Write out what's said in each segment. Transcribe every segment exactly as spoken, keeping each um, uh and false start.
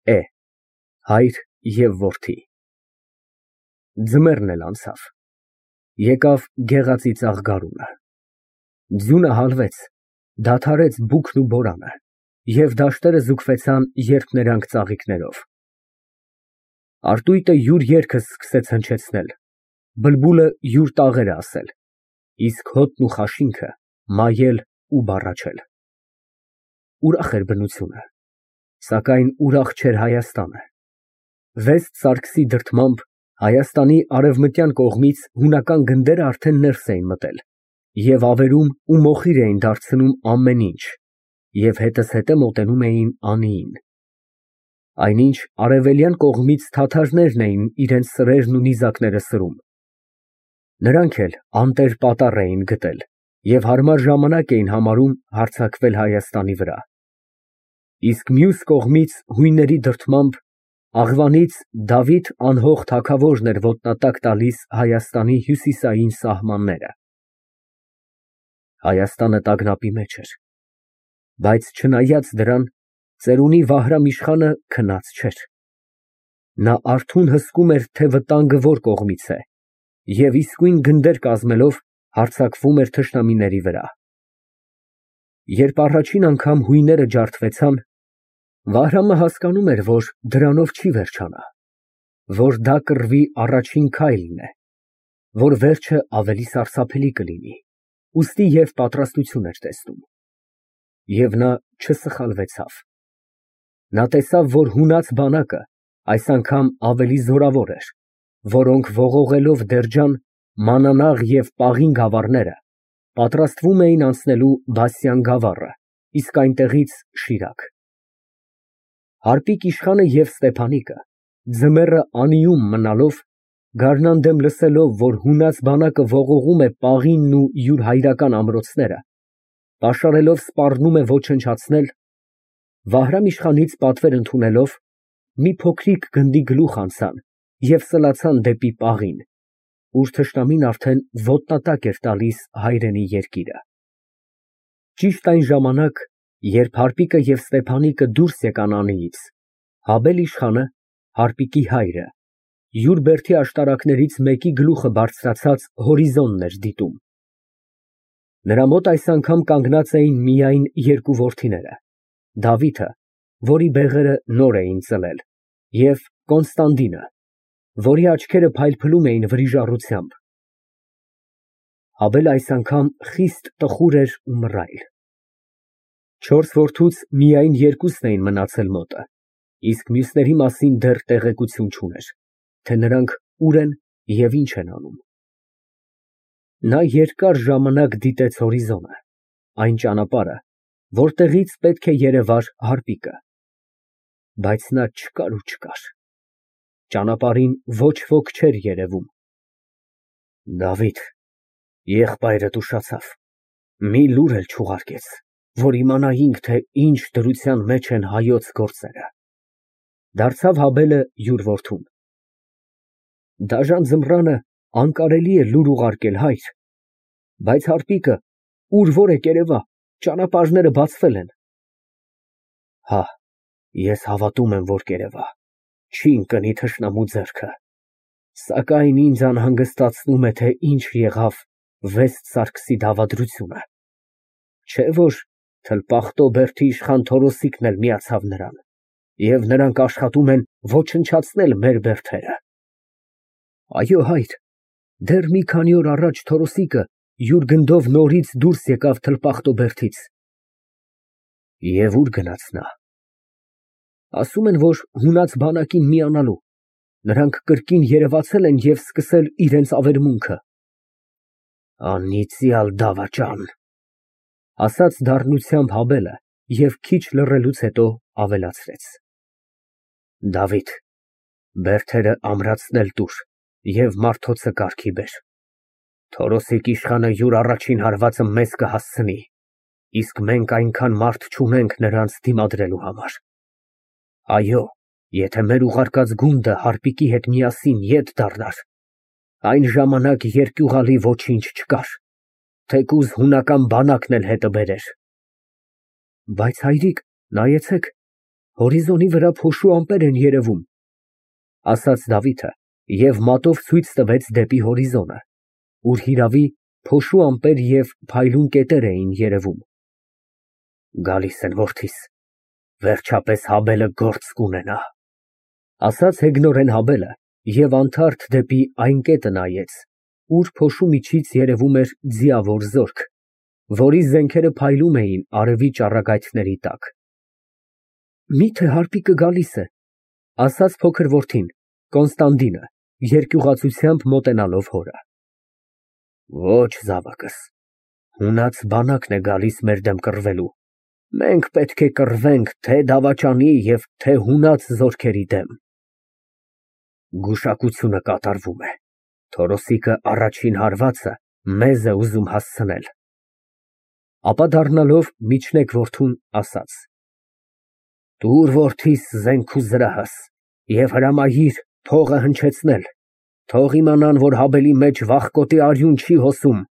Է հայր և որդի։ Ձմեռն էլ անցավ, եկավ գեղածի ծաղ գարունը, ձյունը հալվեց, դադարեց բուքն ու բորանը, և դաշտերը ձուկվեցան երփներանգ ծաղիկներով։ Արտույտը յուր երգը սկսեց հնչեցնել, բլբուլը յուր տաղերը ասել, իսկ հոտն ու խաշինքը մայել ու բառաչել։ Ուրախ էր բնությունը, սակայն ուրախ չէր Հայաստանը։ Վեստ Սարգսի դրդմամբ Հայաստանի արևմտյան կողմից հունական գնդերը արդեն ներս էին մտել և ավերում ու մոխիր էին դարձնում ամեն ինչ և հետզհետե մոտենում էին անիին։ Այնինչ արևելյան կողմից թաթարներն էին իրենց սրերն ու նիզակները սրում։ Նրանք էլ անտեր պատառ էին գտել և հարմար ժամանակ էին համարում հարձակվել Հայաստանի վրա։ Իսկ մյուս կողմից հույների դրդմամբ աղվանից Դավիթ անհող թագավորն էր ոտնատակ տալիս Հայաստանի հյուսիսային սահմանները։ Հայաստանը տագնապի մեջ էր, բայց չնայած դրան, ծերունի Վահրամ֊իշխանը քնած չէր։ Նա արթուն հսկում էր, թե վտանգը որ կողմից է, և իսկույն գնդեր կազմելով հարձակվում էր թշնամիների վրա։ Երբ առաջին անգամ հույները ջարդվեցան, Վահրամը հասկանում էր, որ դրանով չի վերջանա, որ դա կռվի առաջին քայլն է, որ վերջը ավելի սարսափելի կլինի, ուստի և պատրաստություն էր տեսնում։ Եվ նա չսխալվեցավ։ Նա տեսավ, որ հունած բանակը այս անգամ ավելի զորավոր էր, որոնք ողողելով Դերջան, Մանանաղ և Պաղին գավառները պատրաստվում էին անցնելու Բասյան գավառը, իսկ այնտեղից Շիրակ։ Հարպիկ իշխանը և Ստեփանիկը ձմեռը անիում մնալով, գարնան դեմ լսելով, որ հունած բանակը ողողում է Պաղինն ու յուր հայրական ամրոցները, պաշարելով սպառնում է ոչնչացնել, Վահրամ֊իշխանից պատվեր ընդունելով, մի փոքրիկ գնդի գլուխ անցան և սլացան դեպի Պաղին, ուր թշնամին արդեն ոտնատակ էր տալիս հայրենի երկիրը։ Ճիշտ այն ժամանակ, երբ Հարպիկը և Ստեփանիկը դուրս եկան անիից, Հաբել֊իշխանը, Հարպիկի հայրը, յուր բերդի աշտարակներից մեկի գլուխը բարձրացած հորիզոնն էր դիտում։ Նրա մոտ այս անգամ կանգնած էին միայն երկու որդիները, Դավիթը, որի բեղերը նոր էին ծլել, և Կոնստանդինը, որի աչքերը փայլփլում էին վրիժառությամբ։ Հաբելը այս անգամ խիստ տխուր էր ու մռայլ։ Չորս որդուց միայն երկուսն էին մնացել մոտը, իսկ մյուսների մասին դեռ տեղեկություն չուներ, թե նրանք ուր են և ինչ են անում։ Նա երկար ժամանակ դիտեց հորիզոնը, այն ճանապարհը, որտեղից պետք է երևար Հարպիկը, բայց նա չկար ու չկար, ճանապարհին ոչ ոք չէր երևում։ Դավիթ, եղբայրդ ուշացավ, մի լուր էլ չուղարկեց, որ իմանայինք, թե ինչ դրության մեջ են հայոց գործերը, դարձավ Հաբելը յուր որդուն։ Դաժան ձմռանը անկարելի է լուր ուղարկել, հայր, բայց Հարպիկը ուր որ է երևա, ճանապարհները բացվել են։ Հա, ես հավատում եմ, որ կերևա, չի ընկնի թշնամու ձեռքը, սակայն ինձ անհանգստացնում է, թե ինչ եղավ Վեստ Սարգսի դավադրությունը, չէ՞ որ Թլպախտո բերդի իշխան Թորոսիկն էլ միացավ նրան, և նրանք աշխատում են ոչնչացնել մեր բերդերը։ Այո, հայր, դեռ մի քանի օր առաջ Թորոսիկը յուր գնդով նորից դուրս եկավ Թլպախտո բերդից։ Եվ ուր գնաց նա։ Ասում են, որ հունած բանակին միանալու, նրանք կրկին երևացել են և սկսել իրենց ավերմունքը։ Անիծյալ դավաճան, ասաց դառնությամբ Հաբելը և քիչ լռելուց հետո ավելացրեց. Դավիթ, բերդերը ամրացնել տուր և մարդոցը կարգի բեր։ Թորոսիկ իշխանը յուր առաջին հարվածը մեզ կհասցնի, իսկ մենք այնքան մարդ չունենք նրանց դիմադրելու համար։ Այո, եթե մեր ուղարկած գունդը Հարպիկի հետ միասին ետ դառնար, այն ժամանակ երկյուղալի ոչինչ չկար, թեկուզ հունական բանակն էլ հետը բերեր։ Բայց հայրիկ, նայեցեք, Հորիզոնի վրա փոշու ամպեր են երևում, ասաց Դավիթը և մատով ցույց տվեց դեպի հորիզոնը, ուր հիրավի փոշու ամպեր և փայլուն կետեր էին երևում։ Գալիս են, որդիս, վերջապես Հաբելը գործ կունենա, ասաց հեգնորեն Հաբելը և անթարթ դեպի այն կետը նայեց, ուր փոշու միջից երևում էր ձիավոր զորք, որի զենքերը փայլում էին արևի ճառագայթների տակ։ Միթե հարպիկը գալիս է, ասաց փոքր որդին, Կոնստանդինը, երկյուղացությամբ մոտենալով հորը։ Ոչ, զավակս, հունած բանակն է գալիս մեր դեմ կռվելու, մենք պետք է կռվենք թե դավաճանի և թե հունած զորքերի դեմ։ Գուշակությունը կատարվում է, Թորոսիկը առաջին հարվածը մեզ է ուզում հասցնել։ Ապա դառնալով միջնեկ որդուն ասաց. Տուր որդիս զենք ու զրահս և հրամայիր փողը հնչեցնել, թող իմանան, որ Հաբելի մեջ վախկոտի արյուն չի հոսում,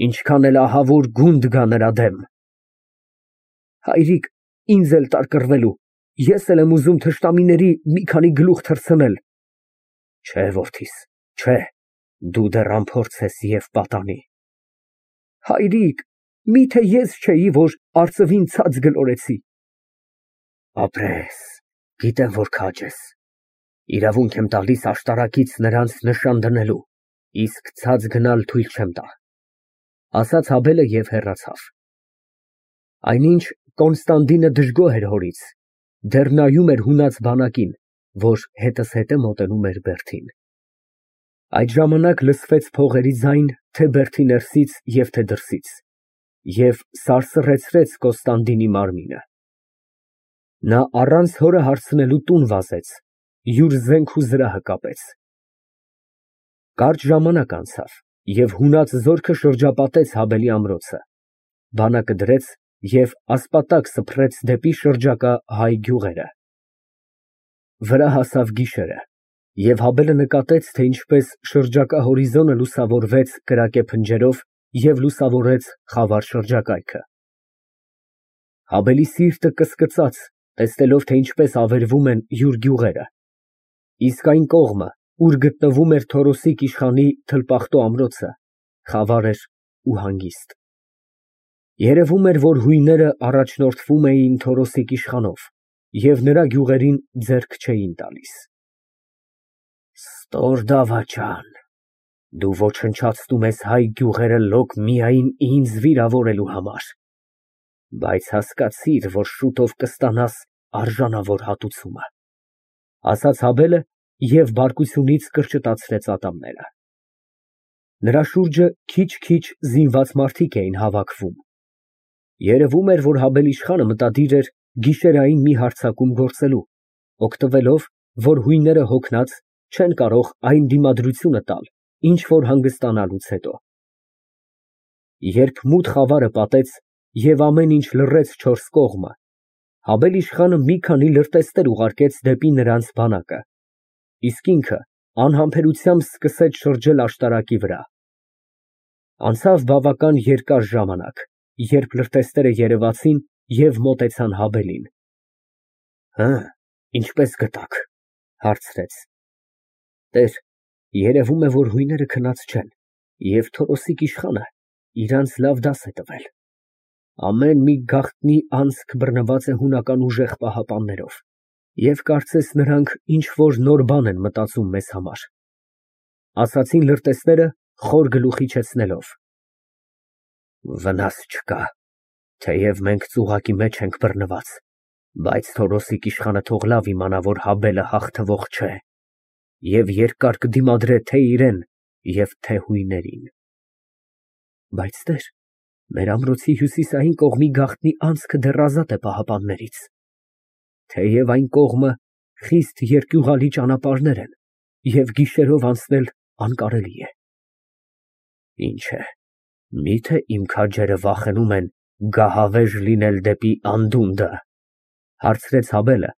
ինչքան էլ ահավոր գունդ գա նրա դեմ։ Հայրիկ, ինձ էլ տար կռվելու, ես էլ եմ ուզում թշնամիների մի քանի գլուխ թռցնել։ Չէ, որդիս, չէ, դու դեռ անփորձ ես և պատանի։ Հայրիկ, միթե ես չէի, որ արծվին ցած գլորեցի։ Ապրես, գիտեմ, որ քաջ ես, իրավունք եմ տալիս աշտարակից նրանց նշան դնելու, իսկ ցած գնալ թույլ չեմ տա, ասաց Հաբելը և հեռացավ։ Այնինչ Կոնստանդինը դժգոհ էր հորից, դեռ նայում էր հունած բանակին, որ հետզհետե մոտենում էր Բերդին։ Այդ ժամանակ լսվեց փողերի ձայն թե Բերդի ներսից և թե դրսից, և սարսռեցրեց Կոնստանդինի մարմինը։ Նա առանց հորը հարցնելու տուն վազեց, յուր զենք ու զրահը կապեց։ Կարճ ժամանակ անցավ, և հունած զորքը շրջապատեց Հաբելի ամրոցը, բանակը դրեց և ասպատակ սփռեց դեպի շրջակա հայ գյուղերը։ Վրա հասավ գիշերը, և Հաբելը նկատեց, թե ինչպես շրջակա հորիզոնը լուսավորվեց կրակե փնջերով և լուսավորեց խավար շրջակայքը։ Հաբելի սիրտը կսկծաց, տեսնելով, թե ինչպես ավերվում են յուր գյուղերը, իսկ այն կողմը, ուր գտնվում էր Թորոսիկ իշխանի թլպախտո ամրոցը, խավար էր ու հանգիստ։ Երևում էր, որ հույները առաջնորդվում էին Թորոսիկ իշխանով և նրա գյուղերին ձեռք չէին տալիս։ Ստոր դավաճան, դու ոչնչացնում ես հայ գյուղերը լոկ միայն ինձ վիրավորելու համար, բայց հասկացիր, որ շուտով կստանաս արժանավոր հատուցումը, ասաց Հաբելը և բարկությունից կրճտացրեց ատամները։ Նրա շուրջը քիչ֊քիչ զինված մարդիկ էին հավաքվում։ Երևում էր, որ Հաբել իշխանը մտադիր էր գիշերային մի հարձակում գործելու, օգտվելով, որ հույները հոգնած չեն կարող այն դիմադրությունը տալ, ինչ որ հանգստանալուց հետո։ Երբ մութ խավարը պատեց և ամեն ինչ լռեց չորս կողմը, Հաբել իշխանը մի քանի լրտեսներ ուղարկեց դեպի նրանց բանակը, իսկ ինքը անհամբերությամբ սկսեց շրջել աշտարակի վրա։ Անցավ բավական երկար ժամանակ, երբ լրտեսները երևացին և մոտեցան Հաբելին։ Հը, ինչպե՞ս գտաք, հարցրեց։ Տեր, երևում է, որ հույները քնած չեն, և Թորոսիկ իշխանը իրանց լավ դաս է տվել։ Ամեն մի գաղտնի անցք բռնված է հունական ուժեղ պահապաններով, և կարծես նրանք ինչ֊որ նոր բան են մտածում մեզ համար, ասացին լրտեսները խոր գլուխ իջեցնելով։ Վնաս չկա, թեև մենք ծուղակի մեջ ենք բռնված, բայց Թորոսիկ իշխանը թող լավ իմանա, որ Հաբելը հաղթվող չէ և երկար կդիմադրե թե իրան և թե հույներին։ Բայց տեր, մեր ամրոցի հյուսիսային կողմի գաղտնի անցքը դեռ ազատ է պահապաններից, թեև այն կողմը խիստ երկյուղալի ճանապարհներ են և գիշերով անցնել անկարելի է։ Ինչ է, միթե իմ քաջերը վախենում են գահավեժ լինել դեպի անդունդը, հարցրեց Հաբելը,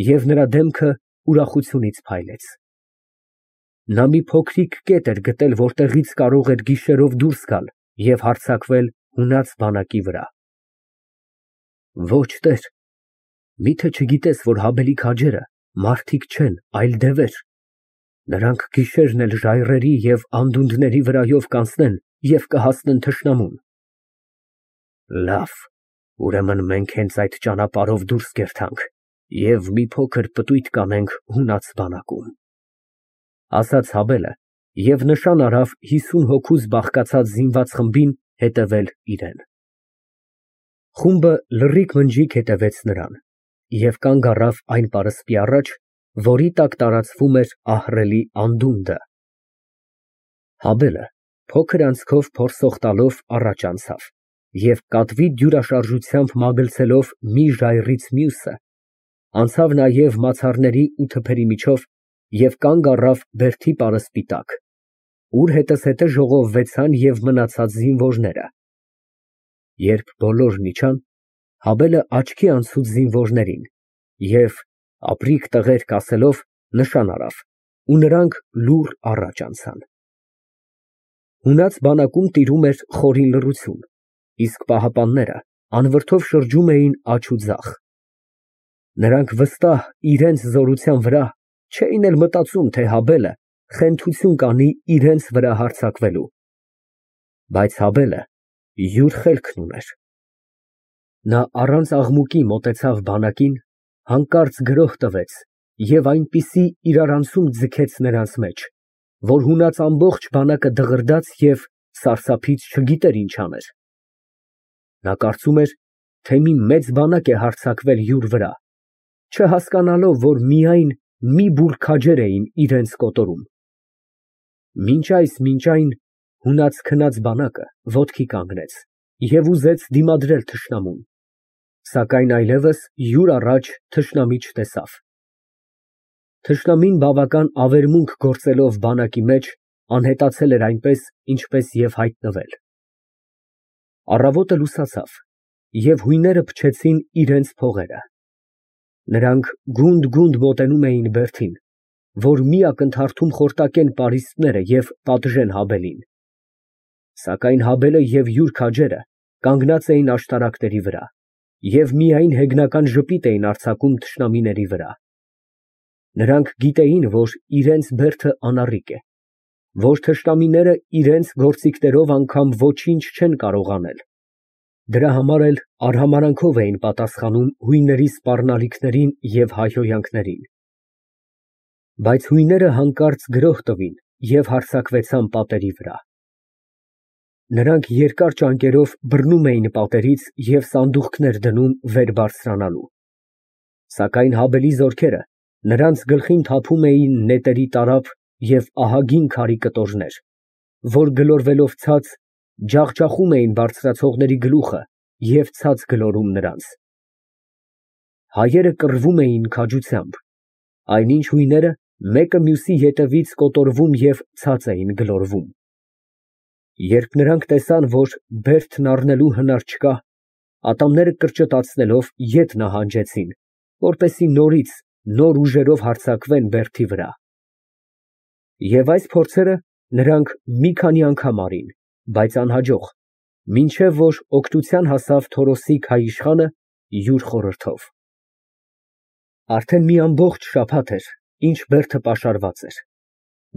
և նրա դեմքը ուրախությունից փայլեց։ Նա մի փոքրիկ կետ էր գտել, որտեղից կարող էր գիշերով դուրս գալ և հարձակվել հունած բանակի վրա։ Ոչ, տեր, Միթե չգիտես, որ Հաբելի քաջերը մարդիկ չեն, այլ դևեր. նրանք գիշերն էլ ժայռերի և անդունդների վրայով կանցնեն և կհասնեն թշնամուն։ Լավ, ուրեմն մենք հենց այդ ճանապարհով դուրս կերթանք և մի փոքր պտույտ կանենք հունած բանակում, ասաց Հաբելը և նշան արավ հիսուն հոգուց բաղկացած զինված խմբին հետևել իրան։ Խումբը լռիկ մնջիկ հետևեց նրան և կանգ առավ այն պարսպի առաջ, որի տակ տարածվում էր ահռելի անդունդը։ Հաբելը փոքր անցքով փորձող տալով առաջ անցավ և կատվի դյուրաշարժությամբ մագլցելով մի ժայռից մյուսը, անցավ նաև մացառների ու թփերի միջով և կանգ առավ բերդի պարսպի տակ, ուր հետզհետե ժողովվեցան և մնացած զինվորները։ Երբ բոլորն իջան, Հաբելը աչքի անցուց զինվորներին և, ապրիկ տղերք ասելով, նշան արավ, ու նրանք լուռ առաջ անցան։ Հունած բանակում տիրում էր խորին լռություն, իսկ պահապանները անվրդով շրջում էին աջ ու ձախ։ Նրանք վստահ իրենց զորության վրա չէին էլ մտածում, թե Հաբելը խենթություն կանի իրենց վրա հարձակվելու։ Բայց Հաբելը յուր խելքն ուներ։ Նա առանց աղմուկի մոտեցավ բանակին, հանկարծ գրոհ տվեց և այնպիսի իրարանցում ձգեց նրանց մեջ, որ հունած ամբողջ բանակը դղրդաց և սարսափից չգիտեր ինչ աներ։ Նա կարծում էր, թե մի մեծ բանակ է հարձակվել յուր վրա, չհասկանալով, որ միայն մի բուռ քաջեր էին իրենց կոտորում։ Մինչ այս մինչ այն հունած քնած բանակը ոտքի կանգնեց և ուզեց դիմադրել թշնամուն, սակայն այլևս յուր առաջ թշնամի չտեսավ։ Թշնամին բավական ավերմունք գործելով բանակի մեջ, անհետացել էր այնպես, ինչպես և հայտնվել։ Առավոտը լուսացավ, և հույները փչեցին իրենց փողերը։ Նրանք գունդ֊գունդ մոտենում էին բերդին, որ մի ակնթարթում խորտակեն պարիսպները և պատժեն Հաբելին։ Սակայն Հաբելը և յուր քաջերը կանգնած էին աշտարակների վրա և միայն հեգնական ժպիտ էին արձակում թշնամիների վրա։ Նրանք գիտեին, որ իրենց բերդը անառիկ է, որ թշնամիները իրենց գործիքներով անգամ ոչինչ չեն կարող անել, դրա համար էլ արհամարհանքով էին պատասխանում հույների սպառնալիքներին և հայհոյանքներին։ Բայց հույները հանկարծ գրոհ տվին և հարձակվեցան պատերի վրա։ Նրանք երկար ճանկերով բռնում էին պատերից և սանդուղքներ դնում վեր բարձրանալու։ Սակայն Հաբելի զորքերը նրանց գլխին թափում էին նետերի տարափ և ահագին քարի կտորներ, որ գլորվելով ցած, ջախջախում էին բարձրացողների գլուխը և ցած գլորում նրանց։ Հայերը կռվում էին քաջությամբ, այնինչ հույները մեկը մյուսի ետևից կոտորվում և ցած էին գլորվում։ Երբ նրանք տեսան, որ բերդն առնելու հնար չկա, ատամները կրճտացնելով ետ նահանջեցին, որպեսզի նորից նոր ուժերով հարձակվեն բերդի վրա։ Եվ այս փորձերը նրանք մի քանի անգամ արին, բայց անհաջող, մինչև որ օգնության հասավ Թորոսի քայիշխանը յուր խորհրդով։ Արդեն մի ամբողջ շաբաթ էր, ինչ բերդը պաշարված էր,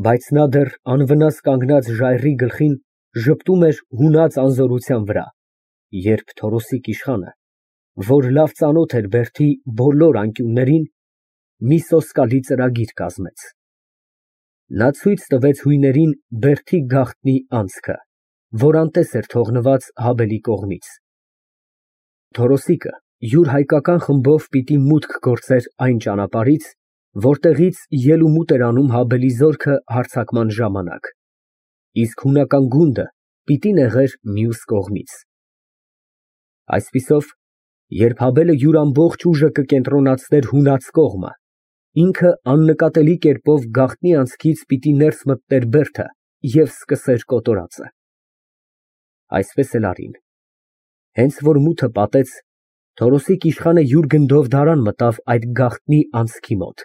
բայց նա դեռ անվնաս կանգնած ժայռի գլխին ժպտում էր հունած անզորության վրա, երբ Թորոսիկ իշխանը, որ լավ ծանոթ էր բերդի բոլոր անկյուններին, մի սոսկալի ծրագիր կազմեց։ Նա ցույց տվեց հույներին բերդի գաղտնի անցքը, որ անտես էր թողնված Հաբելի կողմից։ Թորոսիկը յուր հայկական խմբով պիտի մուտք գործեր այն ճանապարհից, որտեղից ելումուտ էր անում Հաբելի զորքը հարձակման ժամանակ, իսկ հունական գունդը պիտի նեղեր մյուս կողմից։ Այսպիսով, երբ Հաբելը յուր ամբողջ ուժը կկենտրոնացներ հունած կողմը, ինքը աննկատելի կերպով գաղտնի անցքից պիտի ներս մտներ բերդը և սկսեր կոտորածը։ Այսպես էլ արին։ Հենց որ մութը պատեց, Թորոսիկ իշխանը յուր գնդով դարան մտավ այդ գաղտնի անցքի մոտ,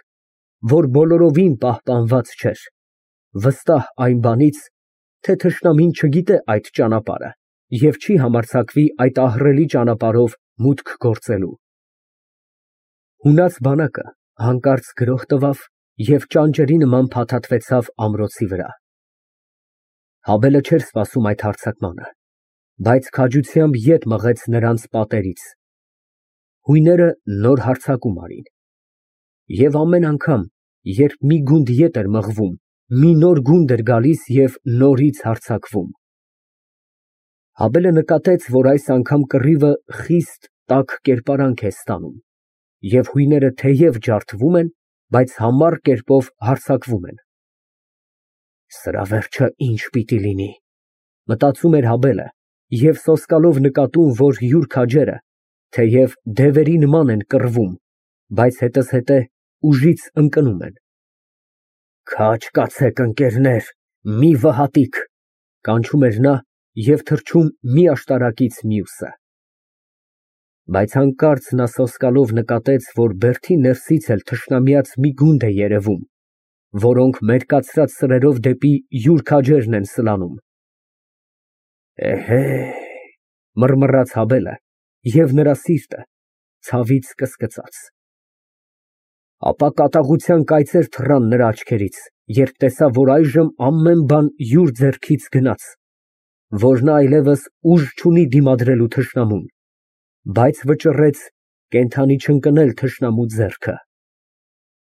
որ բոլորովին պահպանված չէր, վստահ այն բանից, թե թշնամին չգիտե այդ ճանապարհը և չի համարձակվի այդ ահռելի ճանապարհով մուտք գործելու։ Հունած բանակը հանկարծ գրոհ տվավ և ճանճերի նման փաթաթվեցավ ամրոցի վրա։ Հաբելը չէր սպասում այդ հարձակմանը, բայց քաջությամբ ետ մղեց նրանց պատերից։ Հույները նոր հարձակում արին։ Եվ ամեն անգամ, երբ մի գունդ ետ էր մղվում, մի նոր գունդ էր գալիս և նորից հարձակվում։ Հաբելը նկատեց, որ այս անգամ կռիվը խիստ տաք կերպարանք է ստանում, և հույները թեև ջարդվում են, բայց համառ կերպով հարձակվում են։ Սրա վերջը ի՞նչ պիտի լինի, մտածում էր Հաբելը և սոսկալով նկատում, որ յուր քաջերը թեև դևերի նման են կռվում, բայց հետզհետե ուժից ընկնում են։ Քաջ կացեք, ընկերներ, մի վհատիկ, կանչում էր նա և թռչում մի աշտարակից մյուսը։ Բայց հանկարծ նա սոսկալով նկատեց, որ բերդի ներսից էլ թշնամիած մի գունդ է երևում, որոնք մերկացրած սրերով դեպի յուր քաջերն են սլանում։ Էհե, մռմռաց Հաբելը, և նրա սիրտը ցավից կսկծաց։ Ապա կատաղության կայծեր թռան նրա աչքերից, երբ տեսավ, որ այժմ ամեն բան յուր ձեռքից գնաց, որ նա այլևս ուժ չունի դիմադրելու թշնամուն, բայց վճռեց կենդանի չընկնել թշնամու ձեռքը։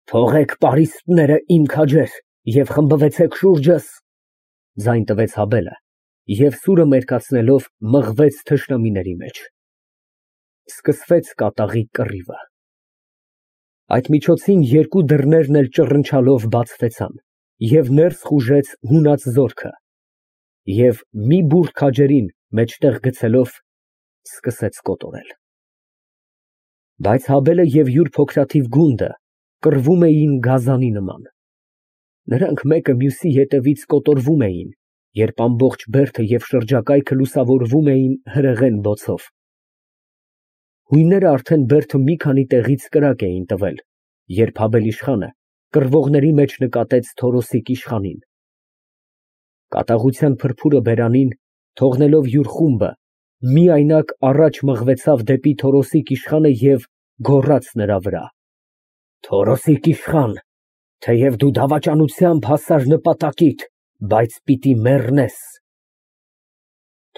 Թողեք պարիսպները, իմ քաջեր, և խմբվեցեք շուրջս, ձայն տվեց Հաբելը, և սուրը մերկացնելով մղվեց թշնամիների մեջ։ Սկսվեց կատաղի կռիվը։ Այդ միջոցին երկու դռներն էլ ճռնչալով բացվեցան, և ներս խուժեց հունած զորքը, և մի բուռ քաջերին մեջտեղ գցելով սկսեց կոտորել։ Բայց Հաբելը և յուր փոքրաթիվ գունդը կռվում էին գազանի նման։ Նրանք մեկը մյուսի ետևից կոտորվում էին, երբ ամբողջ բերդը և շրջակայքը լուսավորվում էին հրեղեն բոցով։ Հույները արդեն բերդը մի քանի տեղից կրակ էին տվել, երբ Հաբել֊իշխանը կռվողների մեջ նկատեց Թորոսիկ իշխանին։ Կատաղության փրփուրը բերանին թողնելով յուր խումբը, միայնակ առաջ մղվեցավ դեպի Թորոսիկ իշխանը և գոռաց նրա վրա. Թորոսիկ իշխան, թեև դու դավաճանությամբ հասար նպատակիդ, բայց պիտի մեռնես։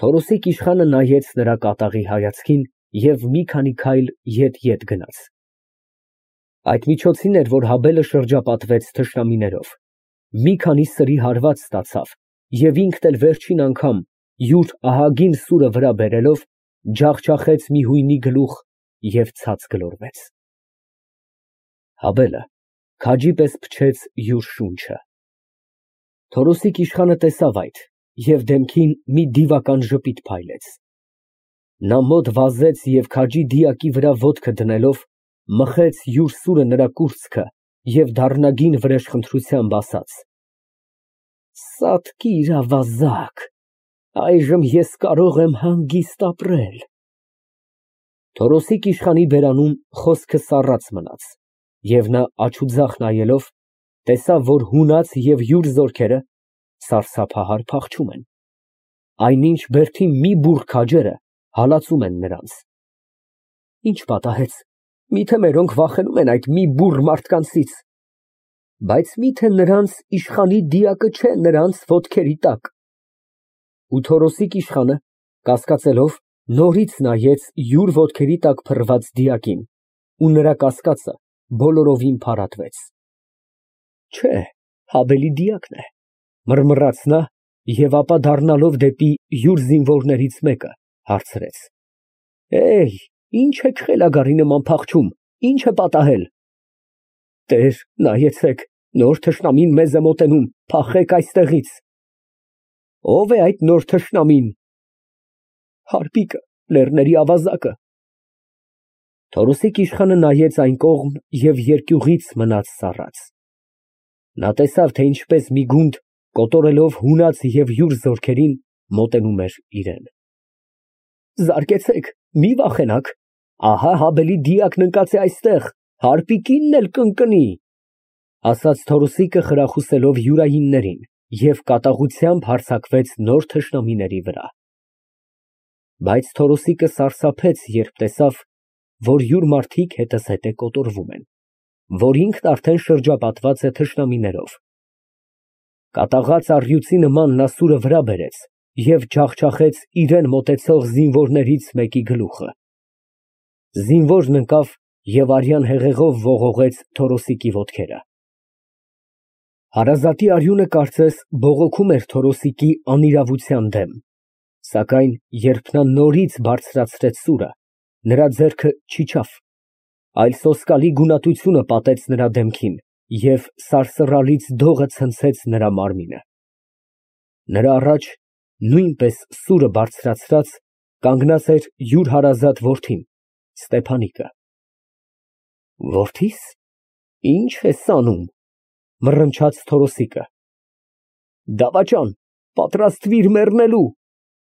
Թորոսիկ իշխանը նայեց նրա կատաղի հայացքին և մի քանի քայլ ետ֊ետ գնաց։ Այդ միջոցին էր, որ Հաբելը շրջապատվեց թշնամիներով, մի քանի սրի հարված ստացավ և ինքն էլ վերջին անգամ յուր ահագին սուրը վրա բերելով, ջախջախեց մի հույնի գլուխ և ցած գլորվեց։ Հաբելը քաջի պես փչեց յուր շունչը։ Թորոսիկ իշխանը տեսավ այդ և դեմքին մի դիվական ժպիտ փայլեց։ Նա մոտ վազեց և քաջի դիակի վրա ոտքը դնելով, մխեց յուր սուրը նրա կուրծքը և դառնագին վրեժխնդրությամբ ասաց. Սատկիր, ավազակ, այժմ ես կարող եմ հանգիստ ապրել։ Թորոսիկ իշխանի բերանում խոսքը սառած մնաց, և նա աջ ու ձախ նայելով, տեսավ, որ հունած և յուր զորքերը սարսափահար փախչում են, այնինչ բերդի մի բուռ քաջերը հալածում են նրանց։ Ինչ պատահեց, միթե մերոնք վախենում են այդ մի բուռ մարդկանցից։ Բայց միթե նրանց իշխանի դիակը չէ նրանց ոտքերի տակ։ Ու Թորոսիկ իշխանը, կասկածելով, նորից նայեց յուր ոտքերի տակ փռված դիակին, ու նրա կասկածը բոլորովին փարատվեց։ Չէ, Հաբելի դիակն է, մռմռաց նա և ապա դառնալով դեպի յուր զինվորներից մեկը, հարցրեց. Էհ, ի՞նչ եք խելագարի նման փախչում, ի՞նչ է պատահել։ Տեր, նայեցեք, նոր թշնամին մեզ է մոտենում, փախեք այստեղից։ Ո՞վ է այդ նոր թշնամին։ Հարպիկը, լեռների ավազակը։ Թորոսիկ իշխանը նայեց այն կողմ և երկյուղից մնաց սառած։ Նա տեսավ, թե ինչպես մի գունդ, կոտորելով հունած և յուր զորքերին, մոտենում էր իրան։ Զարկեցեք, մի վախենաք, ահա Հաբելի դիակն ընկած է այստեղ, հարպիկինն էլ կընկնի, ասաց Թորոսիկը խրախուսելով յուրայիններին և կատաղությամբ հարձակվեց նոր թշնամիների վրա։ Բայց Թորոսիկը սարսափեց, երբ տեսավ, որ յուր մարդիկ հետզհետե կոտորվում են, որ ինքն արդեն շրջապատված է թշնամիներով։ Կատաղած առյուծի նման նա սուրը վրա բերեց և ջախջախեց իրան մոտեցող զինվորներից մեկի գլուխը։ Զինվորն ընկավ և արյան հեղեղով ողողեց Թորոսիկի ոտքերը։ Հարազատի արյունը կարծես բողոքում էր Թորոսիկի անիրավության դեմ, սակայն երբ նա նորից բարձրացրեց սուրը, նրա ձեռքը չիջավ, այլ սոսկալի գունատությունը պատեց նրա դեմքին և սարսռալից դողը ցնցեց նրա մարմինը։ Նրա առաջ, նույնպես սուրը բարձրացրած, կանգնած էր յուր հարազատ որդին Ստեփանիկը։ Որդի՞ս, ի՞նչ ես անում, մռնչաց Թորոսիկը։ Դավաճան, պատրաստվիր մեռնելու,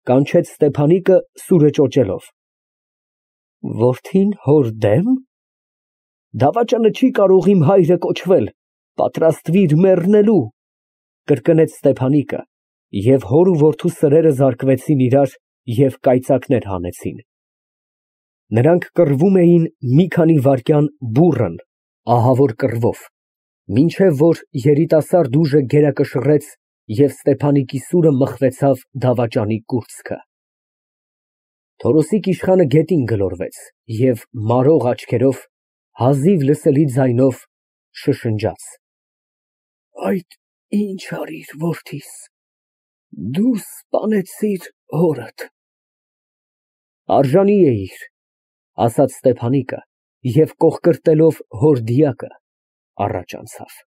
կանչեց Ստեփանիկը սուրը ճոճելով։ Որդին հոր դե՞մ։ Դավաճանը չի կարող իմ հայրը կոչվել, պատրաստվիր մեռնելու, կրկնեց Ստեփանիկը, և հոր ու որդու սրերը զարկվեցին իրար և կայծակներ հանեցին։ Նրանք կռվում էին մի քանի վայրկյան բուռն, ահավոր կռվով, մինչև որ երիտասարդ ուժը գերակշռեց և Ստեփանիկի սուրը մխվեցավ դավաճանի կուրծքը։ Թորոսիկ իշխանը գետին գլորվեց և մարող աչքերով, հազիվ լսելի ձայնով շշնջաց. Այդ ի՞նչ արիր, որդիս, դու սպանեցիր հորդ։ Արժանի էիր, ասաց Ստեփանիկը և կոխկրտելով հոր դիակը, առաջ անցավ։